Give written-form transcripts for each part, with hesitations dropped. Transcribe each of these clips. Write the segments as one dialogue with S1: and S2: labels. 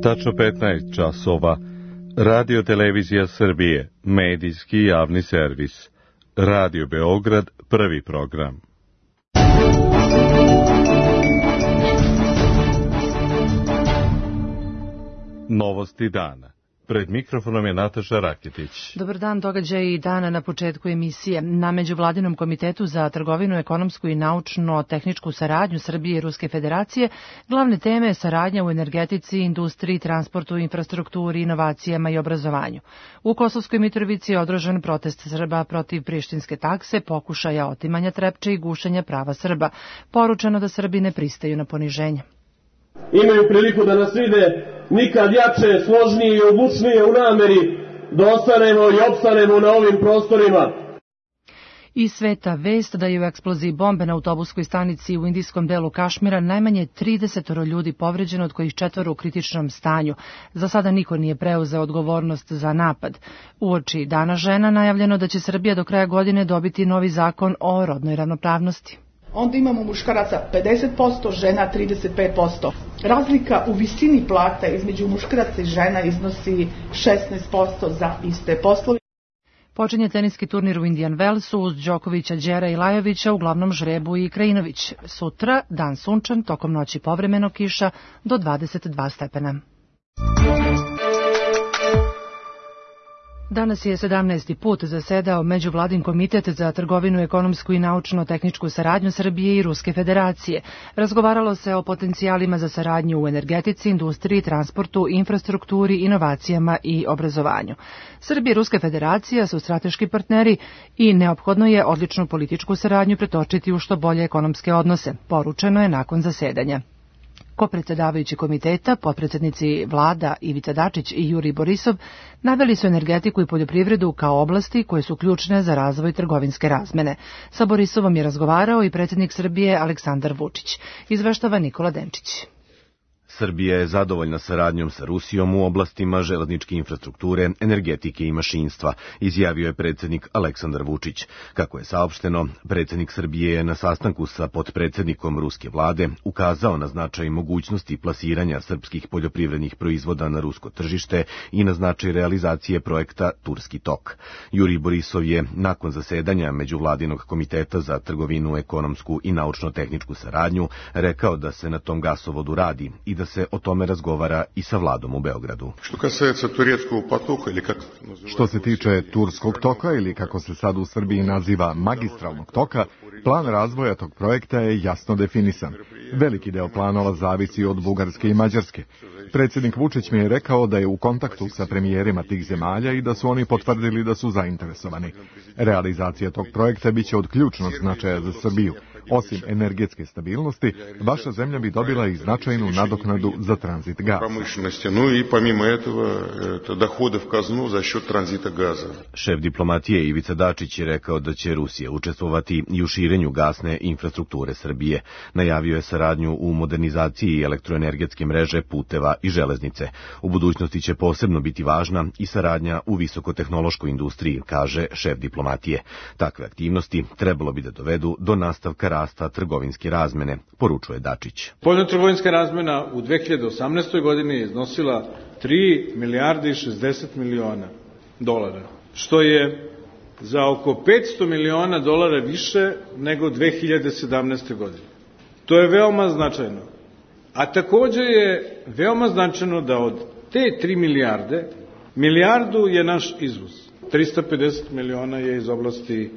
S1: Tačno 15 časova. Radio Televizija Srbije, medijski javni servis. Radio Beograd, prvi program. Novosti dana. Pred mikrofonom je Nataša Raketić.
S2: Dobar dan, događaji dana na početku emisije. Na Međuvladinom komitetu za trgovinu, ekonomsku i naučno-tehničku saradnju Srbije i Ruske federacije glavne teme je saradnja u energetici, industriji, transportu, infrastrukturi, inovacijama i obrazovanju. U Kosovskoj Mitrovici je održan protest Srba protiv prištinske takse, pokušaja otimanja Trepče i gušenja prava Srba. Poručeno da Srbi ne pristaju na poniženje.
S3: Imaju priliku da nas vide nikad jače, složnije i odlučnije u nameri da ostanemo i opstanemo na ovim prostorima.
S2: Iz sveta vest da je u eksploziji bombe na autobuskoj stanici u indijskom delu Kašmira najmanje 30 ljudi povređeno, od kojih 4 u kritičnom stanju. Za sada niko nije preuzeo odgovornost za napad. Uoči Dana žena najavljeno da će Srbija do kraja godine dobiti novi zakon o rodnoj ravnopravnosti.
S4: Onda imamo muškaraca 50%, žena 35%. Razlika u visini plata između muškaraca i žena iznosi 16% za iste poslove.
S2: Počinje teniski turnir u Indian Wellsu uz Đokovića, Đera i Lajovića, uglavnom žrebu i Krajinović. Sutra dan sunčan, tokom noći povremeno kiša do 22 stepena. Danas je 17. put zasedao Međuvladin komitet za trgovinu, ekonomsku i naučno-tehničku saradnju Srbije i Ruske federacije. Razgovaralo se o potencijalima za saradnju u energetici, industriji, transportu, infrastrukturi, inovacijama i obrazovanju. Srbija i Ruska federacija su strateški partneri i neophodno je odličnu političku saradnju pretočiti u što bolje ekonomske odnose, poručeno je nakon zasedanja. Kopredsedavajući komiteta, potpredsednici vlada Ivica Dačić i Jurij Borisov naveli su energetiku i poljoprivredu kao oblasti koje su ključne za razvoj trgovinske razmene. Sa Borisovom je razgovarao i predsjednik Srbije Aleksandar Vučić. Izveštava Nikola Denčić.
S5: Srbija je zadovoljna saradnjom sa Rusijom u oblastima železničke infrastrukture, energetike i mašinstva, izjavio je predsjednik Aleksandar Vučić. Kako je saopšteno, predsjednik Srbije je na sastanku sa potpredsjednikom ruske vlade ukazao na značaj mogućnosti plasiranja srpskih poljoprivrednih proizvoda na rusko tržište i na značaj realizacije projekta Turski tok. Jurij Borisov je nakon zasedanja Međuvladinog komiteta za trgovinu, ekonomsku i naučno-tehničku saradnju rekao da se na tom gasovodu radi i da se o tome razgovara i sa vladom u Beogradu.
S6: Što se tiče Turskog toka ili kako se sad u Srbiji naziva magistralnog toka, plan razvoja tog projekta je jasno definisan. Veliki deo planova zavisi od Bugarske i Mađarske. Predsjednik Vučić mi je rekao da je u kontaktu sa premijerima tih zemalja i da su oni potvrdili da su zainteresovani. Realizacija tog projekta biće od ključnog značaja za Srbiju. Osim energetske stabilnosti, vaša zemlja bi dobila i značajnu nadoknadu za tranzit gaza.
S5: Šef diplomatije Ivica Dačić je rekao da će Rusija učestvovati i u širenju gasne infrastrukture Srbije. Najavio je saradnju u modernizaciji elektroenergetske mreže, puteva i železnice. U budućnosti će posebno biti važna i saradnja u visokotehnološkoj industriji, kaže šef diplomatije. Takve aktivnosti trebalo bi da dovedu do nastavka rasta trgovinske razmene, poručuje Dačić.
S7: Spoljnotrgovinska razmena u 2018. godini je iznosila 3 milijarde i 60 miliona dolara, što je za oko 500 miliona dolara više nego 2017. godine. To je veoma značajno. A također je veoma značajno da od te 3 milijarde, milijardu je naš izvoz. 350 miliona je iz oblasti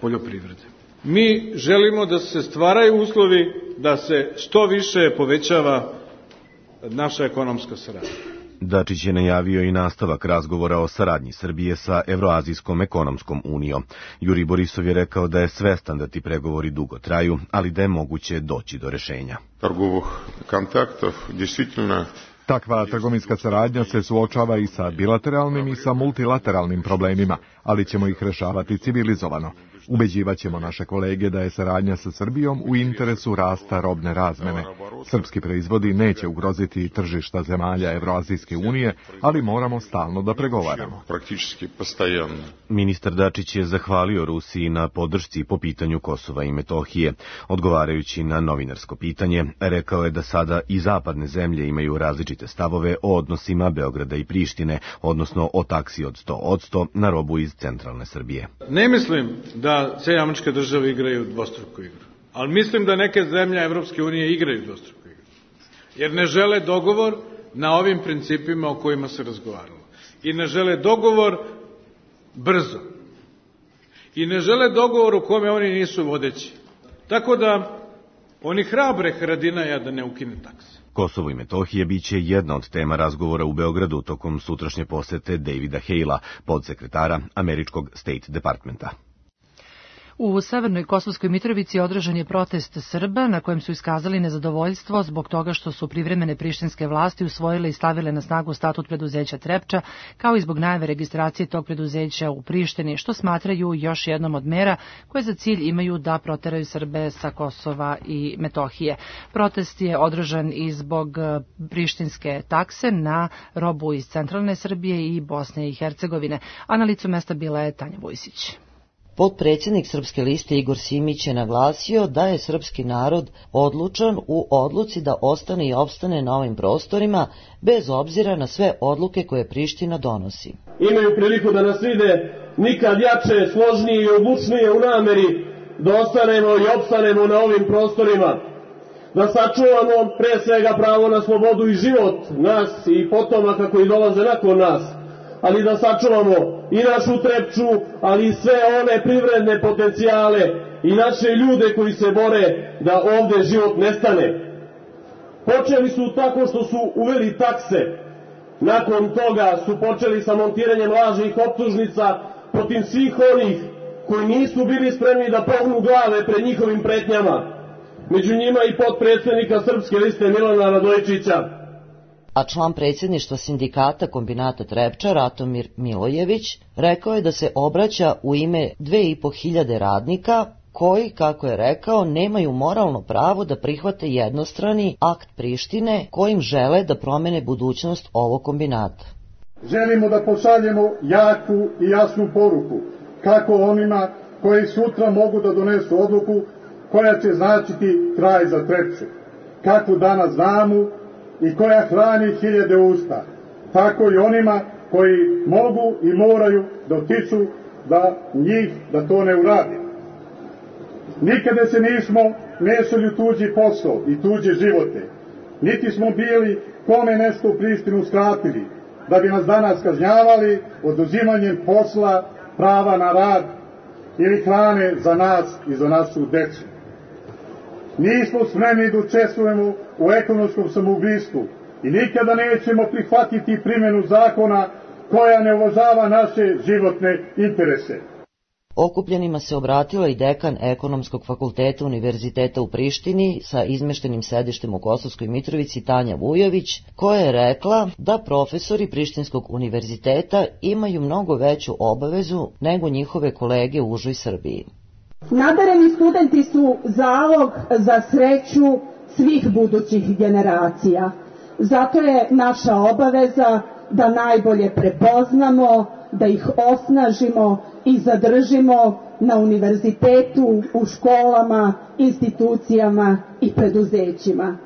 S7: poljoprivrede. Mi želimo da se stvaraju uslovi da se što više povećava naša ekonomska saradnja.
S5: Dačić je najavio i nastavak razgovora o saradnji Srbije sa Evroazijskom ekonomskom unijom. Jurij Borisov je rekao da je svestan da ti pregovori dugo traju, ali da je moguće doći do rešenja.
S6: Takva trgovinska saradnja se suočava i sa bilateralnim i sa multilateralnim problemima, ali ćemo ih rešavati civilizovano. Ubeđivaćemo naše kolege da je saradnja sa Srbijom u interesu rasta robne razmene. Srpski proizvodi neće ugroziti tržišta zemalja Evroazijske unije, ali moramo stalno da pregovaramo.
S5: Ministar Dačić je zahvalio Rusiji na podršci po pitanju Kosova i Metohije. Odgovarajući na novinarsko pitanje, rekao je da sada i zapadne zemlje imaju različite stavove o odnosima Beograda i Prištine, odnosno o taksi od 100% na robu iz centralne Srbije.
S7: Ne mislim da Sjedinjene Američke Države igraju dvostruku igru, ali mislim da neke zemlje Evropske unije igraju dvostruku igru, jer ne žele dogovor na ovim principima o kojima se razgovaralo. I ne žele dogovor brzo. I ne žele dogovor u kome oni nisu vodeći. Tako da oni hrabre Haradinaja da ne ukine takse.
S5: Kosovo i Metohija biće jedna od tema razgovora u Beogradu tokom sutrašnje posete Davida Halea, podsekretara američkog State Departmenta.
S2: U Severnoj Kosovskoj Mitrovici održan je protest Srba na kojem su iskazali nezadovoljstvo zbog toga što su privremene prištinske vlasti usvojile i stavile na snagu statut preduzeća Trepča, kao i zbog najave registracije tog preduzeća u Prištini, što smatraju još jednom od mera koje za cilj imaju da proteraju Srbe sa Kosova i Metohije. Protest je održan i zbog prištinske takse na robu iz centralne Srbije i Bosne i Hercegovine, a na licu mesta bila je Tanja Vujsić.
S8: Potpredsjednik Srpske liste Igor Simić je naglasio da je srpski narod odlučan u odluci da ostane i opstane na ovim prostorima, bez obzira na sve odluke koje Priština donosi.
S3: Imaju priliku da nas vide nikad jače, složnije i odlučnije u nameri da ostanemo i opstanemo na ovim prostorima, da sačuvamo pre svega pravo na slobodu i život nas i potomaka koji dolaze nakon nas, ali da sačuvamo i našu Trepču, ali i sve one privredne potencijale i naše ljude koji se bore da ovde život nestane. Počeli su tako što su uveli takse. Nakon toga su počeli sa montiranjem lažnih optužnica protiv svih onih koji nisu bili spremni da pognu glave pred njihovim pretnjama. Među njima i potpredsjednika Srpske liste Milana Radojičića.
S8: A član predsjedništva sindikata kombinata Trepča, Ratomir Milojević, rekao je da se obraća u ime 2500 radnika koji, kako je rekao, nemaju moralno pravo da prihvate jednostrani akt Prištine kojim žele da promene budućnost ovog kombinata.
S9: Želimo da pošaljemo jaku i jasnu poruku kako onima koji sutra mogu da donesu odluku koja će značiti kraj za Trepču, kakvu danas znamo i koja hrani hiljade usta, tako i onima koji mogu i moraju da otiču da to ne uradi. Nikada se nismo mešali u tuđi posao i tuđe živote, niti smo bili kome nešto u Prištinu skratili, da bi nas danas kažnjavali oduzimanjem posla, prava na rad ili hrane za nas i za našu decu. Nismo spremni da učestvujemo u ekonomskom samoubistvu i nikada nećemo prihvatiti primjenu zakona koja ne uvažava naše životne interese.
S8: Okupljenima se obratila i dekan Ekonomskog fakulteta Univerziteta u Prištini sa izmeštenim sedištem u Kosovskoj Mitrovici Tanja Vujović, koja je rekla da profesori Prištinskog univerziteta imaju mnogo veću obavezu nego njihove kolege u užoj Srbiji.
S10: Nadareni studenti su zalog za sreću svih budućih generacija. Zato je naša obaveza da najbolje prepoznamo, da ih osnažimo i zadržimo na univerzitetu, u školama, institucijama i preduzećima.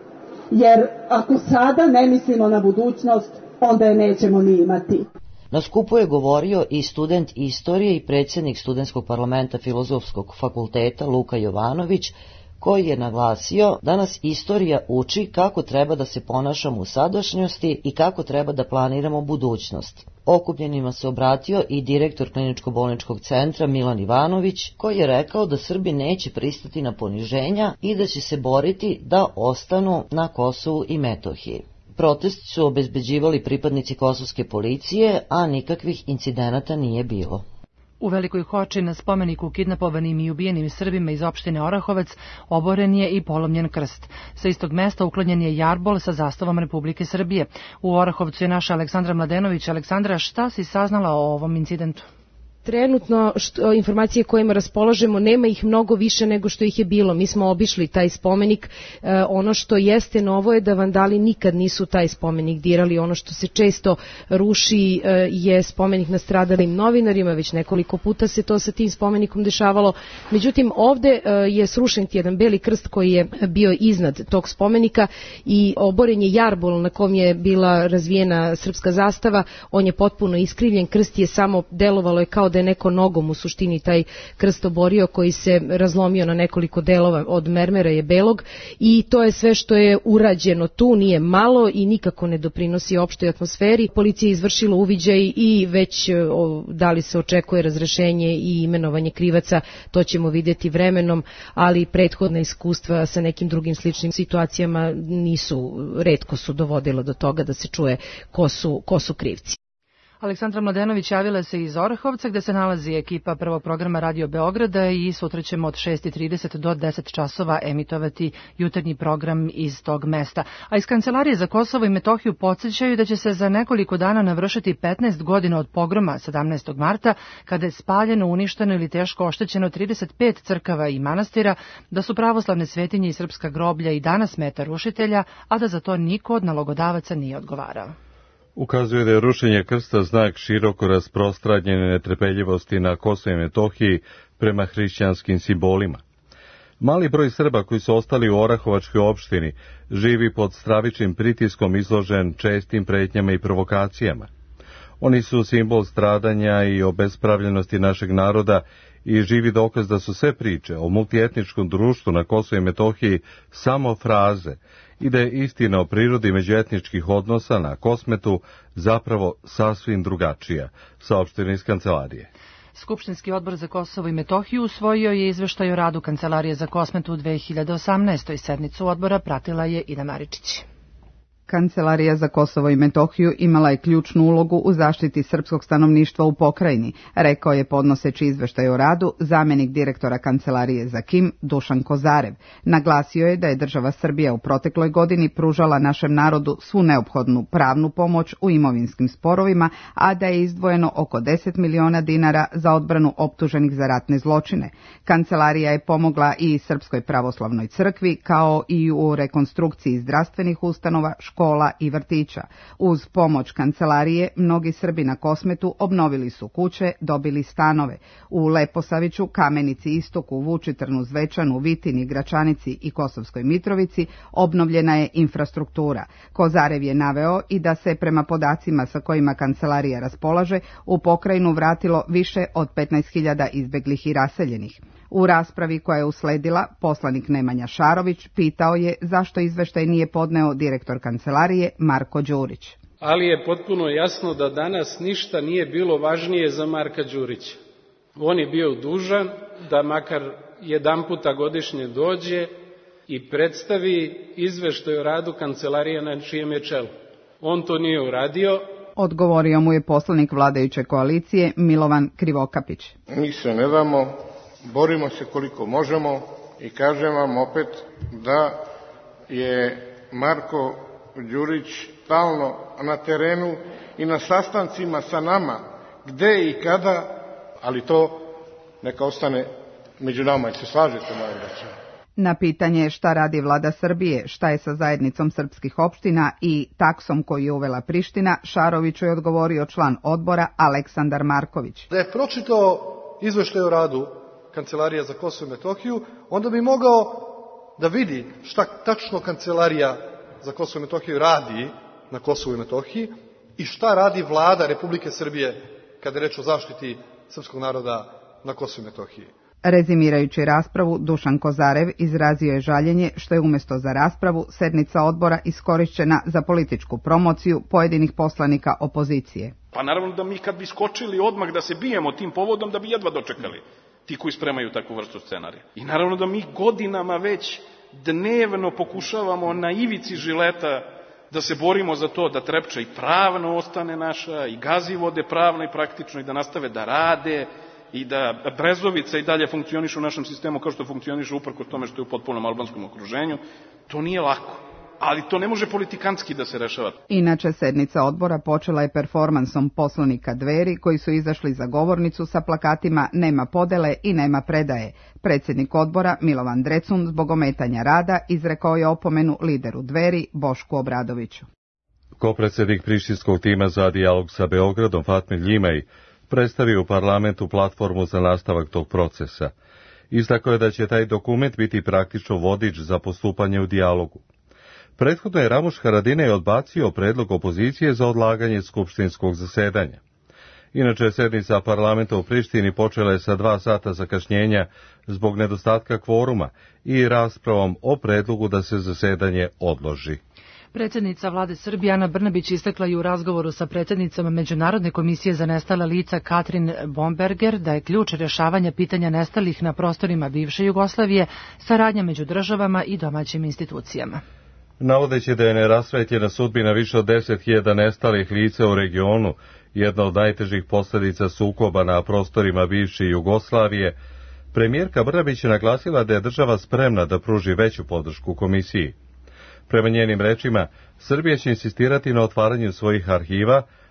S10: Jer ako sada ne mislimo na budućnost, onda je nećemo ni imati.
S8: Na skupu je govorio i student istorije i predsjednik studentskog parlamenta Filozofskog fakulteta Luka Jovanović, koji je naglasio da nas istorija uči kako treba da se ponašamo u sadašnjosti i kako treba da planiramo budućnost. Okupljenima se obratio i direktor kliničko-bolničkog centra Milan Ivanović, koji je rekao da Srbi neće pristati na poniženja i da će se boriti da ostanu na Kosovu i Metohiji. Protest su obezbeđivali pripadnici kosovske policije, a nikakvih incidenata nije bilo.
S2: U Velikoj Hoči na spomeniku kidnapovanim i ubijenim Srbima iz opštine Orahovac oboren je i polomljen krst. Sa istog mesta uklonjen je jarbol sa zastavom Republike Srbije. U Orahovcu je naša Aleksandra Mladenović. Aleksandra, šta si saznala o ovom incidentu?
S11: Trenutno informacije kojima raspolažemo, nema ih mnogo više nego što ih je bilo. Mi smo obišli taj spomenik. Ono što jeste novo je da vandali nikad nisu taj spomenik dirali. Ono što se često ruši je spomenik nastradalim novinarima, već nekoliko puta se to sa tim spomenikom dešavalo. Međutim, ovde je srušen jedan beli krst koji je bio iznad tog spomenika i oboren je jarbol na kom je bila razvijena srpska zastava. On je potpuno iskrivljen, krst je samo delovalo je kao da je neko nogom u suštini taj krst oborio, koji se razlomio na nekoliko delova, od mermera je belog, i to je sve što je urađeno tu, nije malo i nikako ne doprinosi opštoj atmosferi. Policija je izvršila uviđaj i već da li se očekuje razrešenje i imenovanje krivaca, to ćemo vidjeti vremenom, ali prethodna iskustva sa nekim drugim sličnim situacijama retko su dovodila do toga da se čuje ko su krivci.
S2: Aleksandra Mladenović javila se iz Orahovca, gde se nalazi ekipa prvog programa Radio Beograda, i sutra ćemo od 6:30 do 10 časova emitovati jutarnji program iz tog mesta. A iz Kancelarije za Kosovo i Metohiju podsjećaju da će se za nekoliko dana navršiti 15 godina od pogroma 17. marta, kada je spaljeno, uništeno ili teško oštećeno 35 crkava i manastira, da su pravoslavne svetinje i srpska groblja i danas meta rušitelja, a da za to niko od nalogodavaca nije odgovarao.
S1: Ukazuje da je rušenje krsta znak široko rasprostranjene netrpeljivosti na Kosovu i Metohiji prema hrišćanskim simbolima. Mali broj Srba koji su ostali u Orahovačkoj opštini živi pod stravičnim pritiskom, izložen čestim pretnjama i provokacijama. Oni su simbol stradanja i obespravljenosti našeg naroda i živi dokaz da su sve priče o multietničkom društvu na Kosovu i Metohiji samo fraze i da je istina o prirodi međuetničkih odnosa na Kosmetu zapravo sasvim drugačija, saopšteno iz Kancelarije.
S2: Skupštinski odbor za Kosovo i Metohiju usvojio je izveštaj o radu Kancelarije za Kosmetu u 2018. Sednicu odbora pratila je Ina Maričić.
S12: Kancelarija za Kosovo i Metohiju imala je ključnu ulogu u zaštiti srpskog stanovništva u pokrajini, rekao je podnoseći izveštaj o radu zamenik direktora Kancelarije za KiM Dušan Kozarev. Naglasio je da je država Srbija u protekloj godini pružala našem narodu svu neophodnu pravnu pomoć u imovinskim sporovima, a da je izdvojeno oko 10 miliona dinara za odbranu optuženih za ratne zločine. Kancelarija je pomogla i Srpskoj pravoslavnoj crkvi, kao i u rekonstrukciji zdravstvenih ustanova, škola i vrtića. Uz pomoć Kancelarije, mnogi Srbi na Kosmetu obnovili su kuće, dobili stanove. U Leposaviću, Kamenici istoku, Vučitrnu, Zvečanu, Vitini, Gračanici i Kosovskoj Mitrovici obnovljena je infrastruktura. Kozarev je naveo i da se prema podacima sa kojima Kancelarija raspolaže u pokrajinu vratilo više od 15.000 izbeglih i raseljenih. U raspravi koja je usledila, poslanik Nemanja Šarović pitao je zašto izveštaj nije podneo direktor Kancelarije Marko Đurić.
S13: Ali je potpuno jasno da danas ništa nije bilo važnije za Marka Đurića. On je bio dužan da makar jedanputa godišnje dođe i predstavi izveštaj o radu Kancelarije na čijem je čelu. On to nije uradio.
S12: Odgovorio mu je poslanik vladajuće koalicije Milovan Krivokapić.
S14: Mi se ne damo, borimo se koliko možemo i kažem vam opet da je Marko Đurić stalno na terenu i na sastancima sa nama, gde i kada, ali to neka ostane među nama. Se slažete, moja braća?
S12: Na pitanje šta radi vlada Srbije, šta je sa zajednicom srpskih opština i taksom koju je uvela Priština, Šaroviću je odgovorio član odbora Aleksandar Marković.
S15: Da je pročitao izveštaj o radu Kancelarija za Kosovo i Metohiju, onda bi mogao da vidi šta tačno Kancelarija za Kosovo i Metohiju radi na Kosovu i Metohiji i šta radi vlada Republike Srbije kada je reč o zaštiti srpskog naroda na Kosovu i Metohiji.
S12: Rezimirajući raspravu, Dušan Kozarev izrazio je žaljenje što je umjesto za raspravu sednica odbora iskorišćena za političku promociju pojedinih poslanika opozicije.
S16: Pa naravno da mi kad bi skočili odmah da se bijemo tim povodom, da bi jedva dočekali ti koji spremaju takvu vrstu scenarija. I naravno da mi godinama već dnevno pokušavamo na ivici žileta da se borimo za to da Trepča i pravno ostane naša, i Gazivode pravno i praktično, i da nastave da rade, i da Brezovica i dalje funkcioniše u našem sistemu kao što funkcioniše uprkos tome što je u potpunom albanskom okruženju. To nije lako. ali to ne može politikanski da se rešava.
S12: Inače, sednica odbora počela je performansom poslanika Dveri koji su izašli za govornicu sa plakatima "Nema podele i nema predaje". Predsjednik odbora Milovan Drecun zbog ometanja rada izrekao je opomenu lideru Dveri Bošku Obradoviću.
S1: Kopredsjednik prištinskog tima za dijalog sa Beogradom Fatmir Ljimej predstavio u parlamentu platformu za nastavak tog procesa. Istakao je da će taj dokument biti praktično vodič za postupanje u dijalogu. Prethodno je Ramuš Haradinaj odbacio predlog opozicije za odlaganje skupštinskog zasedanja. Inače, sednica parlamenta u Prištini počela je sa 2 sata zakašnjenja zbog nedostatka kvoruma i raspravom o predlogu da se zasedanje odloži.
S2: Predsjednica vlade Srbije Ana Brnabić istakla je u razgovoru sa predsjednicom Međunarodne komisije za nestala lica Katrin Bomberger da je ključ rješavanja pitanja nestalih na prostorima bivše Jugoslavije saradnja među državama i domaćim institucijama.
S1: Navodeći da je nerasvetljena sudbina više od 10.000 nestalih lica u regionu, jedna od najtežih posljedica sukoba na prostorima bivše Jugoslavije, premijerka Brnabić je naglasila da je država spremna da pruži veću podršku komisiji. Prema njenim rečima, Srbija će insistirati na otvaranju svojih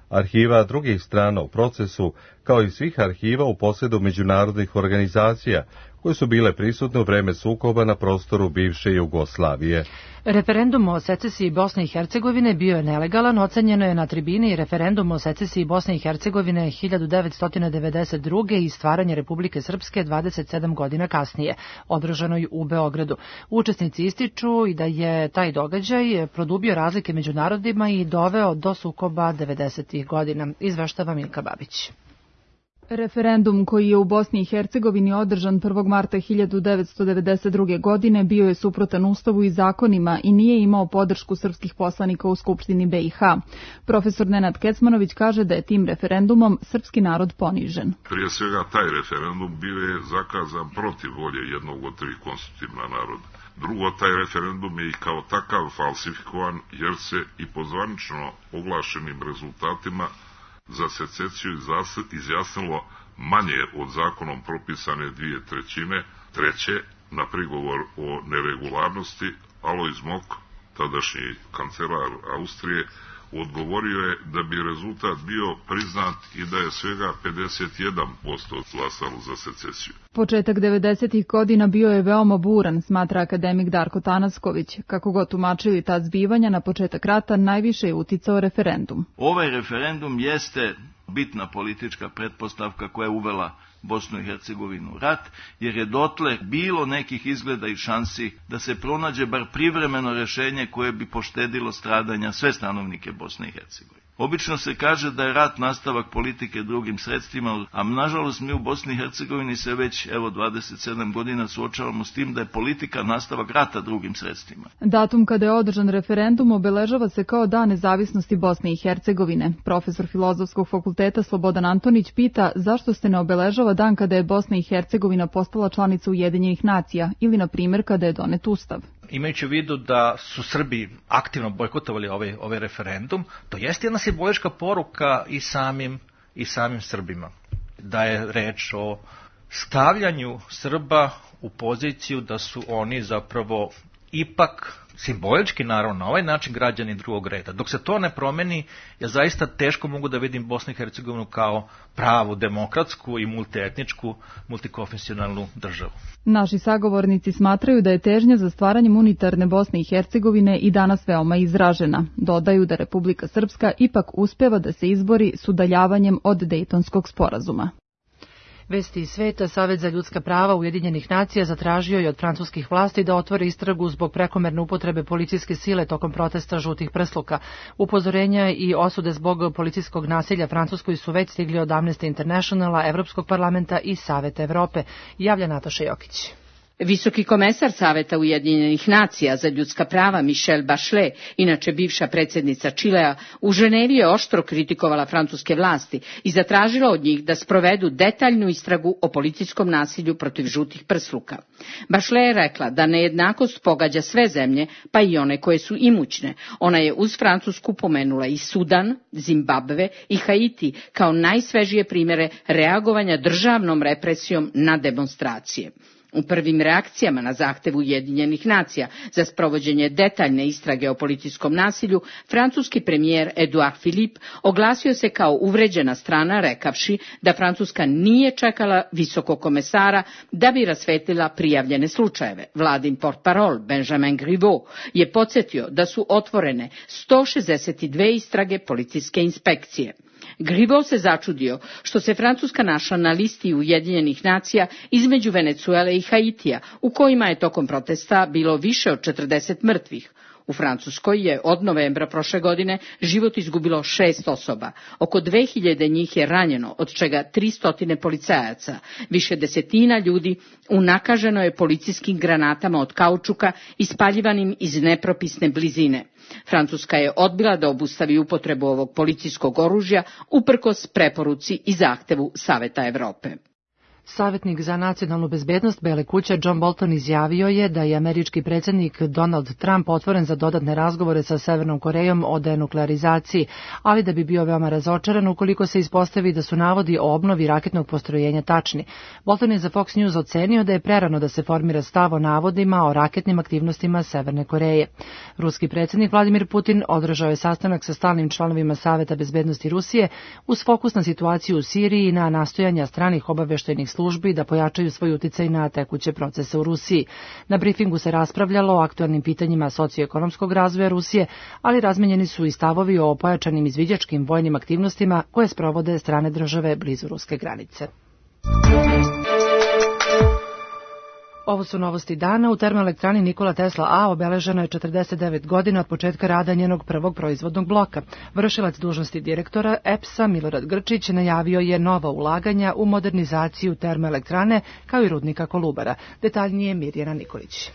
S1: arhiva drugih strana u procesu, kao i svih arhiva u posjedu međunarodnih organizacija, koje su bile prisutne u vreme sukoba na prostoru bivše Jugoslavije.
S2: Referendum o secesiji Bosne i Hercegovine bio je nelegalan, ocenjeno je na tribini i referendum o secesiji Bosne i Hercegovine 1992. i stvaranje Republike Srpske 27 godina kasnije, održanoj u Beogradu. Učesnici ističu i da je taj događaj produbio razlike među narodima i doveo do sukoba 90. godina, izveštava Milka Babić.
S17: Referendum koji je u Bosni i Hercegovini održan 1. marta 1992. godine bio je suprotan Ustavu i zakonima i nije imao podršku srpskih poslanika u Skupštini BiH. Profesor Nenad Kecmanović kaže da je tim referendumom srpski narod ponižen.
S18: Prije svega taj referendum bio je zakazan protiv volje jednog od 3 konstitutivna naroda. Drugo, taj referendum je i kao takav falsifikovan jer se i po zvanično oglašenim rezultatima za secesiju izjasnilo manje od zakonom propisane 2/3. Treće, na prigovor o neregularnosti, Alojz Mok, tadašnji kancelar Austrije, odgovorio je da bi rezultat bio priznat i da je svega 51% glasalo za secesiju.
S17: Početak 90. godina bio je veoma buran, smatra akademik Darko Tanasković. Kako god tumačili ta zbivanja, na početak rata najviše je uticao referendum.
S19: Ovaj referendum jeste bitna politička pretpostavka koja je uvela Bosnu i Hercegovinu u rat, jer je dotle bilo nekih izgleda i šansi da se pronađe bar privremeno rješenje koje bi poštedilo stradanja sve stanovnike Bosne i Hercegovine. Obično se kaže da je rat nastavak politike drugim sredstvima, a nažalost mi u Bosni i Hercegovini se već 27 godina suočavamo s tim da je politika nastavak rata drugim sredstvima.
S17: Datum kada je održan referendum obeležava se kao Dan nezavisnosti Bosne i Hercegovine. Profesor Filozofskog fakulteta Slobodan Antonić pita zašto se ne obeležava dan kada je Bosna i Hercegovina postala članica Ujedinjenih nacija ili, na primjer, kada je donet Ustav.
S20: Imajući u vidu da su Srbi aktivno bojkotovali ovaj referendum, to jeste jedna simbolička poruka i samim Srbima. Da je reč o stavljanju Srba u poziciju da su oni zapravo ipak simbolički, naravno, na ovaj način građani drugog reda. Dok se to ne promeni, ja zaista teško mogu da vidim Bosnu i Hercegovinu kao pravu, demokratsku i multietničku, multikonfesionalnu državu.
S17: Naši sagovornici smatraju da je težnja za stvaranjem unitarne Bosne i Hercegovine i danas veoma izražena. Dodaju da Republika Srpska ipak uspeva da se izbori s udaljavanjem od Dejtonskog sporazuma.
S2: Vesti iz sveta. Savet za ljudska prava Ujedinjenih nacija zatražio je od francuskih vlasti da otvore istragu zbog prekomerne upotrebe policijske sile tokom protesta žutih prsluka. Upozorenja i osude zbog policijskog nasilja Francuskoj su već stigli od Amnesty Internationala, Evropskog parlamenta i Saveta Evrope, javlja Nataša Jokić.
S21: Visoki komesar Saveta Ujedinjenih nacija za ljudska prava Michelle Bachelet, inače bivša predsjednica Čilea, u Ženevi je oštro kritikovala francuske vlasti i zatražila od njih da sprovedu detaljnu istragu o policijskom nasilju protiv žutih prsluka. Bachelet je rekla da nejednakost pogađa sve zemlje, pa i one koje su imućne. Ona je uz Francusku pomenula i Sudan, Zimbabve i Haiti kao najsvežije primjere reagovanja državnom represijom na demonstracije. U prvim reakcijama na zahtev Ujedinjenih nacija za sprovođenje detaljne istrage o policijskom nasilju, francuski premijer Edouard Philippe oglasio se kao uvređena strana, rekavši da Francuska nije čekala visokog komesara da bi rasvetlila prijavljene slučajeve. Vladin portparol Benjamin Griveaux je podsjetio da su otvorene 162 istrage policijske inspekcije. Griveaux se začudio što se Francuska našla na listi Ujedinjenih nacija između Venecuele i Haitija, u kojima je tokom protesta bilo više od 40 mrtvih. U Francuskoj je od novembra prošle godine život izgubilo 6 osoba. Oko 2000 njih je ranjeno, od čega 300 policajaca. Više desetina ljudi unakaženo je policijskim granatama od kaučuka ispaljivanim iz nepropisne blizine. Francuska je odbila da obustavi upotrebu ovog policijskog oružja uprkos preporuci i zahtevu Saveta Evrope.
S2: Savjetnik za nacionalnu bezbednost Bele kuće John Bolton izjavio je da je američki predsjednik Donald Trump otvoren za dodatne razgovore sa Severnom Korejom o denuklearizaciji, ali da bi bio veoma razočaran ukoliko se ispostavi da su navodi o obnovi raketnog postrojenja tačni. Bolton je za Fox News ocenio da je prerano da se formira stav o navodima o raketnim aktivnostima Severne Koreje. Ruski predsjednik Vladimir Putin održao je sastanak sa stalnim članovima Saveta bezbednosti Rusije uz fokus na situaciju u Siriji i na nastojanja stranih obavještajnih službi da pojačaju svoj uticaj na tekuće procese u Rusiji. Na brifingu se raspravljalo o aktualnim pitanjima socioekonomskog razvoja Rusije, ali razmenjeni su i stavovi o pojačanim izviđačkim vojnim aktivnostima koje sprovode strane države blizu ruske granice. Ovo su novosti dana. U termoelektrani Nikola Tesla A obeleženo je 49 godina od početka rada njenog prvog proizvodnog bloka. Vršilac dužnosti direktora EPS-a Milorad Grčić najavio je nova ulaganja u modernizaciju termoelektrane kao i rudnika Kolubara. Detaljnije Mirjana Nikolić.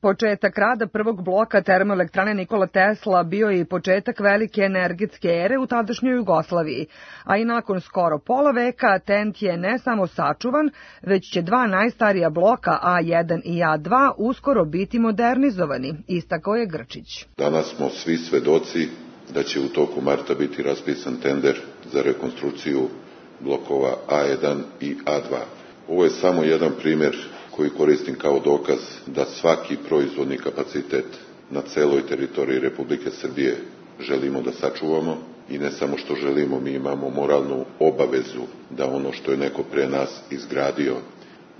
S4: Početak rada prvog bloka termoelektrane Nikola Tesla bio je i početak velike energetske ere u tadašnjoj Jugoslaviji, a i nakon skoro pola veka TENT je ne samo sačuvan, već će dva najstarija bloka A1 i A2 uskoro biti modernizovani, istakao je Grčić.
S22: Danas smo svi svedoci da će u toku marta biti raspisan tender za rekonstrukciju blokova A1 i A2. Ovo je samo jedan primjer koji koristim kao dokaz da svaki proizvodni kapacitet na celoj teritoriji Republike Srbije želimo da sačuvamo i ne samo što želimo, mi imamo moralnu obavezu da ono što je neko pre nas izgradio,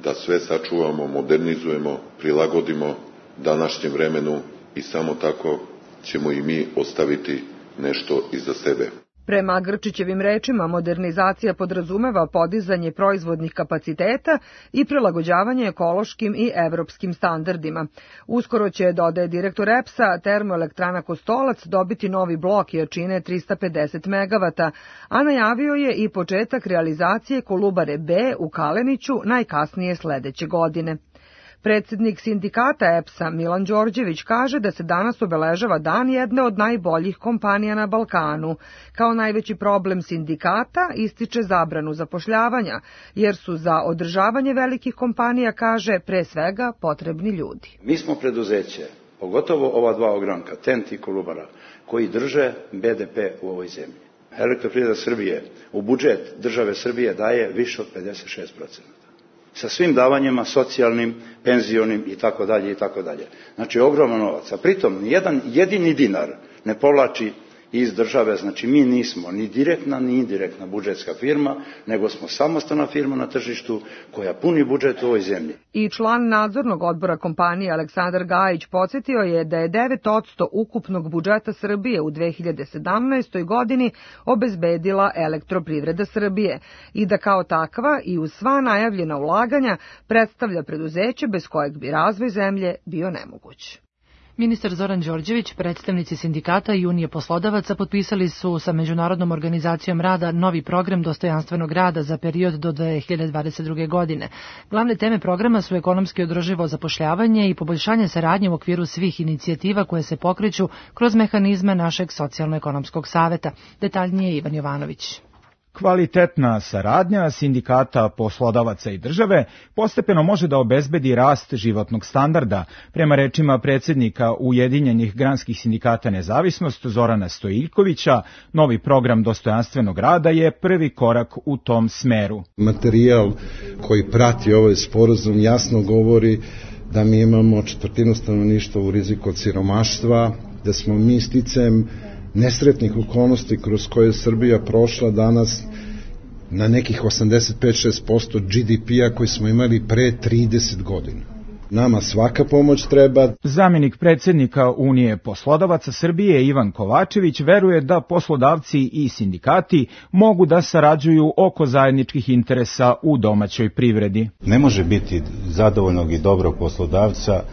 S22: da sve sačuvamo, modernizujemo, prilagodimo današnjem vremenu i samo tako ćemo i mi ostaviti nešto iza sebe.
S4: Prema Grčićevim rečima, modernizacija podrazumeva podizanje proizvodnih kapaciteta i prilagođavanje ekološkim i evropskim standardima. Uskoro će, dodaje direktor EPS-a, termoelektrana Kostolac dobiti novi blok jačine 350 MW, a najavio je i početak realizacije Kolubare B u Kaleniću najkasnije sledeće godine. Predsjednik sindikata EPS-a Milan Đorđević kaže da se danas obeležava dan jedne od najboljih kompanija na Balkanu. Kao najveći problem sindikata ističe zabranu zapošljavanja, jer su za održavanje velikih kompanija, kaže, pre svega potrebni ljudi.
S23: Mi smo preduzeće, pogotovo ova dva ogranka, TENT i Kolubara, koji drže BDP u ovoj zemlji. Elektroprivreda Srbije u budžet države Srbije daje više od 56%. Sa svim davanjima, socijalnim, penzionim i tako dalje. Znači, ogroman novac. A pritom, nijedan jedini dinar ne povlači iz države, znači mi nismo ni direktna ni indirektna budžetska firma, nego smo samostalna firma na tržištu koja puni budžet u ovoj zemlji.
S4: I član nadzornog odbora kompanije Aleksandar Gajić podsjetio je da je 9% ukupnog budžeta Srbije u 2017. godini obezbedila Elektroprivreda Srbije i da kao takva i uz sva najavljena ulaganja predstavlja preduzeće bez kojeg bi razvoj zemlje bio nemoguć.
S2: Ministar Zoran Đorđević, predstavnici sindikata i Unije poslodavaca potpisali su sa Međunarodnom organizacijom rada novi program dostojanstvenog rada za period do 2022. godine. Glavne teme programa su ekonomski održivo zapošljavanje i poboljšanje saradnje u okviru svih inicijativa koje se pokreću kroz mehanizme našeg socijalno-ekonomskog saveta. Detaljnije Ivan Jovanović.
S5: Kvalitetna saradnja sindikata, poslodavaca i države postepeno može da obezbedi rast životnog standarda. Prema rečima predsjednika Ujedinjenih granskih sindikata Nezavisnost Zorana Stojiljkovića, novi program dostojanstvenog rada je prvi korak u tom smeru.
S6: Materijal koji prati ovaj sporazum jasno govori da mi imamo četvrtinu stanovništva u riziku od siromaštva, da smo mi sticajem nesretnih okolnosti kroz koje Srbija prošla danas na nekih 85-6% GDP-a koji smo imali pre 30 godina. Nama svaka pomoć treba.
S5: Zamjenik predsjednika Unije poslodavaca Srbije Ivan Kovačević veruje da poslodavci i sindikati mogu da sarađuju oko zajedničkih interesa u domaćoj privredi.
S7: Ne može biti zadovoljnog i dobrog poslodavca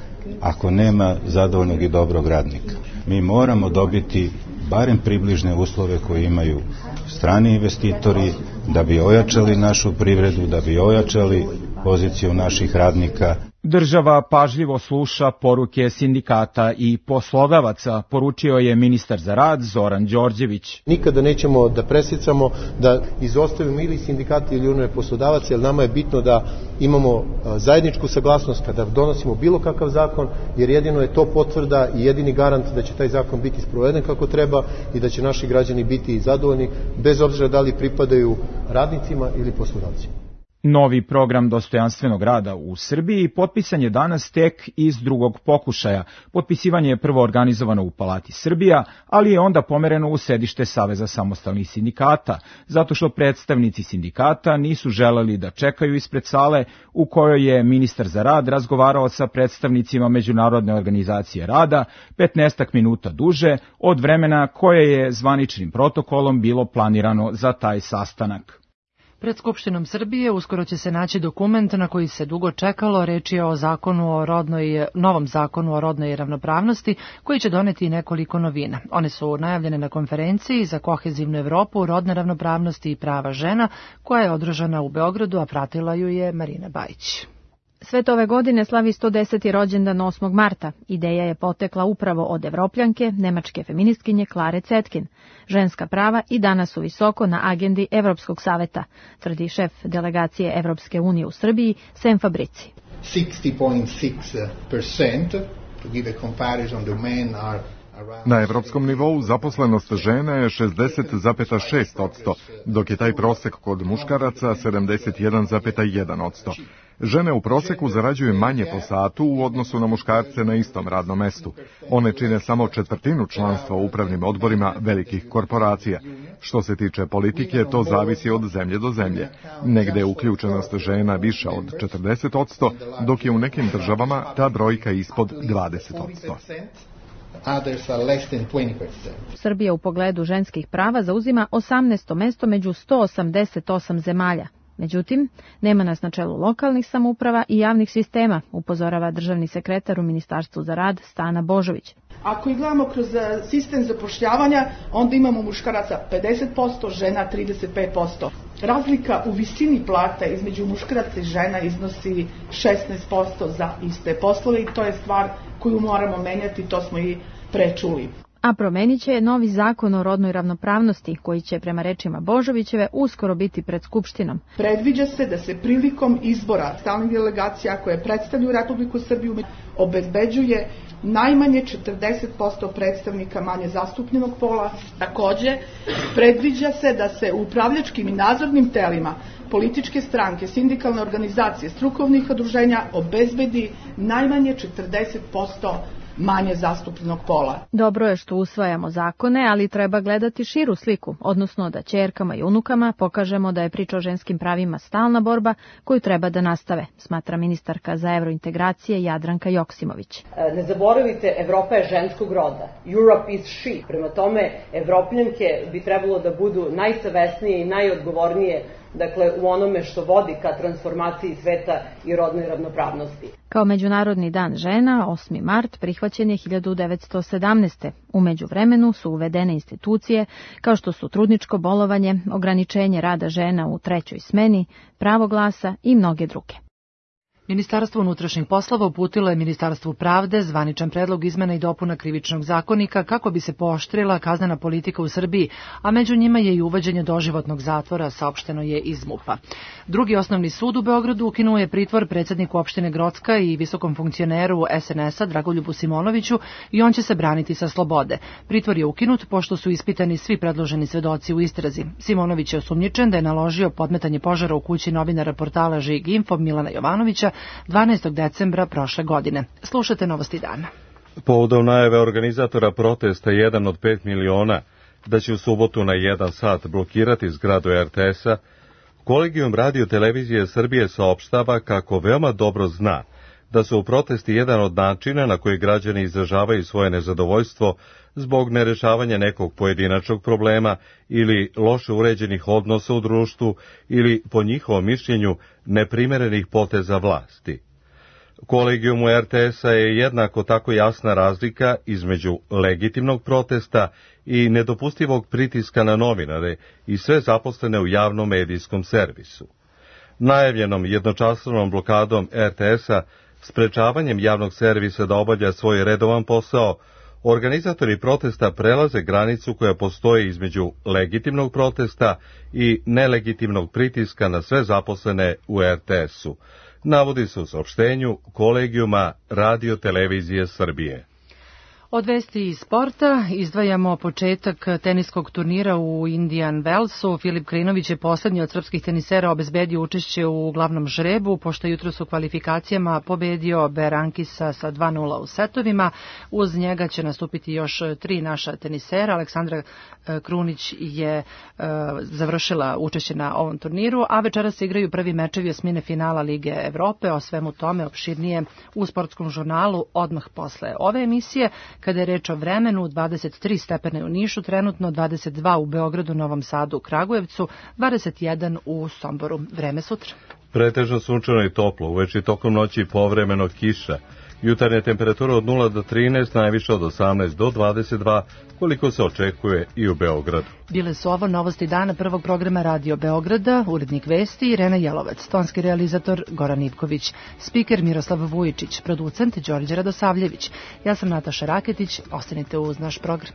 S7: ako nema zadovoljnog i dobrog radnika. Mi moramo dobiti barem približne uslove koje imaju strani investitori da bi ojačali našu privredu, da bi ojačali poziciju naših radnika.
S5: Država pažljivo sluša poruke sindikata i poslodavaca, poručio je ministar za rad Zoran Đorđević.
S24: Nikada nećemo da presicamo, da izostavimo ili sindikati ili unije poslodavaca, jer nama je bitno da imamo zajedničku saglasnost kada donosimo bilo kakav zakon, jer jedino je to potvrda i jedini garant da će taj zakon biti sproveden kako treba i da će naši građani biti zadovoljni, bez obzira da li pripadaju radnicima ili poslodavcima.
S5: Novi program dostojanstvenog rada u Srbiji potpisan je danas tek iz drugog pokušaja. Potpisivanje je prvo organizovano u Palati Srbija, ali je onda pomereno u sedište Saveza samostalnih sindikata, zato što predstavnici sindikata nisu želeli da čekaju ispred sale u kojoj je ministar za rad razgovarao sa predstavnicima Međunarodne organizacije rada 15 minuta duže od vremena koje je zvaničnim protokolom bilo planirano za taj sastanak.
S2: Pred Skupštinom Srbije uskoro će se naći dokument na koji se dugo čekalo, reč je o novom zakonu o rodnoj ravnopravnosti koji će doneti nekoliko novina. One su najavljene na konferenciji za kohezivnu Evropu, rodne ravnopravnosti i prava žena koja je održana u Beogradu, a pratila ju je Marina Bajić.
S25: Svet ove godine slavi 110. rođendan 8. marta. Ideja je potekla upravo od Evropljanke, nemačke feministkinje Klare Cetkin. Ženska prava i danas su visoko na agendi Evropskog saveta, tvrdi šef delegacije Evropske unije u Srbiji, Sem Fabrici.
S26: 60.6%, to give a comparison, the men are
S27: Na evropskom nivou zaposlenost žena je 60,6%, dok je taj prosek kod muškaraca 71,1%. Žene u proseku zarađuju manje po satu u odnosu na muškarce na istom radnom mestu. One čine samo četvrtinu članstva u upravnim odborima velikih korporacija. Što se tiče politike, to zavisi od zemlje do zemlje. Negde je uključenost žena više od 40%, dok je u nekim državama ta brojka ispod 20%.
S25: Srbija u pogledu ženskih prava zauzima 18. mesto među 188 zemalja. Međutim, nema nas na čelu lokalnih samouprava i javnih sistema, upozorava državni sekretar u Ministarstvu za rad Stana Božović.
S28: Ako ih gledamo kroz sistem zapošljavanja, onda imamo muškaraca 50%, žena 35%. Razlika u visini plata između muškaraca i žena iznosi 16% za iste poslove i to je stvar koju moramo menjati, to smo i prečuli.
S25: A promenit će novi zakon o rodnoj ravnopravnosti, koji će, prema rečima Božovićeve, uskoro biti pred Skupštinom.
S28: Predviđa se da se prilikom izbora stalnih delegacija koje predstavljaju Republiku Srbiju obezbeđuje najmanje 40% predstavnika manje zastupljenog pola. Takođe, predviđa se da se u upravljačkim i nadzornim telima političke stranke, sindikalne organizacije, strukovnih udruženja obezbedi najmanje 40% manje zastupljenog pola.
S25: Dobro je što usvajamo zakone, ali treba gledati širu sliku, odnosno da ćerkama i unukama pokažemo da je priča o ženskim pravima stalna borba koju treba da nastave, smatra ministarka za evrointegracije Jadranka Joksimović.
S29: Ne zaboravite, Evropa je ženskog roda. Europe is she. Prema tome, Evropljanke bi trebalo da budu najsavesnije i najodgovornije u onome što vodi ka transformaciji sveta i rodnoj ravnopravnosti.
S25: Kao Međunarodni dan žena, 8. mart prihvaćen je 1917. U međuvremenu su uvedene institucije kao što su trudničko bolovanje, ograničenje rada žena u trećoj smeni, pravo glasa i mnoge druge.
S2: Ministarstvo unutrašnjih poslova uputilo je Ministarstvu pravde zvaničan predlog izmena i dopuna krivičnog zakonika kako bi se pooštrila kaznena politika u Srbiji, a među njima je i uvođenje doživotnog zatvora, saopšteno je iz MUP-a. Drugi osnovni sud u Beogradu ukinuo je pritvor predsedniku opštine Grocka i visokom funkcioneru SNS-a Dragoljubu Simonoviću i on će se braniti sa slobode. Pritvor je ukinut pošto su ispitani svi predloženi svedoci u istrazi. Simonović je osumnjičen da je naložio podmetanje požara u kući novinara portala Žig Info Milana Jovanovića 12. decembra prošle godine. Slušate Novosti dana.
S1: Povodom najave organizatora protesta 1 od 5 miliona da će u subotu na 1 sat blokirati zgradu RTS-a, Kolegijum Radio televizije Srbije saopštava kako veoma dobro zna da su protesti jedan od načina na koji građani izražavaju svoje nezadovoljstvo zbog nerešavanja nekog pojedinačnog problema ili loše uređenih odnosa u društvu ili, po njihovom mišljenju, neprimerenih poteza vlasti. Kolegijumu RTS-a je jednako tako jasna razlika između legitimnog protesta i nedopustivog pritiska na novinare i sve zaposlene u javnom medijskom servisu. Najavljenom jednočasovnom blokadom RTS-a, sprečavanjem javnog servisa da obavlja svoj redovan posao, organizatori protesta prelaze granicu koja postoji između legitimnog protesta i nelegitimnog pritiska na sve zaposlene u RTS-u, navodi se u saopštenju Kolegijuma Radio televizije Srbije.
S2: Od vesti iz sporta izdvajamo početak teniskog turnira u Indian Wellsu. Filip Krajinović je poslednji od srpskih tenisera obezbedio učešće u glavnom žrebu, pošto jutros u kvalifikacijama pobedio Berankisa sa 2:0 u setovima. Uz njega će nastupiti još 3 naša tenisera. Aleksandra Krunić je završila učešće na ovom turniru, a večeras se igraju prvi mečevi osmine finala Lige Evrope. O svemu tome opširnije u sportskom žurnalu odmah posle ove emisije. Kada je reč o vremenu, 23 stepene u Nišu, trenutno 22 u Beogradu, Novom Sadu, Kragujevcu, 21 u Somboru. Vreme sutra.
S1: Pretežno sunčano i toplo, uveče tokom noći povremeno kiša. Jutarnje temperature od 0 do 13, najviše od 18 do 22, koliko se očekuje i u Beogradu.
S2: Bile su ovo novosti dana prvog programa Radio Beograda, urednik vesti Irena Jelovac, tonski realizator Goran Ivković, spiker Miroslav Vujičić, producent Đorđe Radosavljević. Ja sam Nataša Raketić, ostanite uz naš program.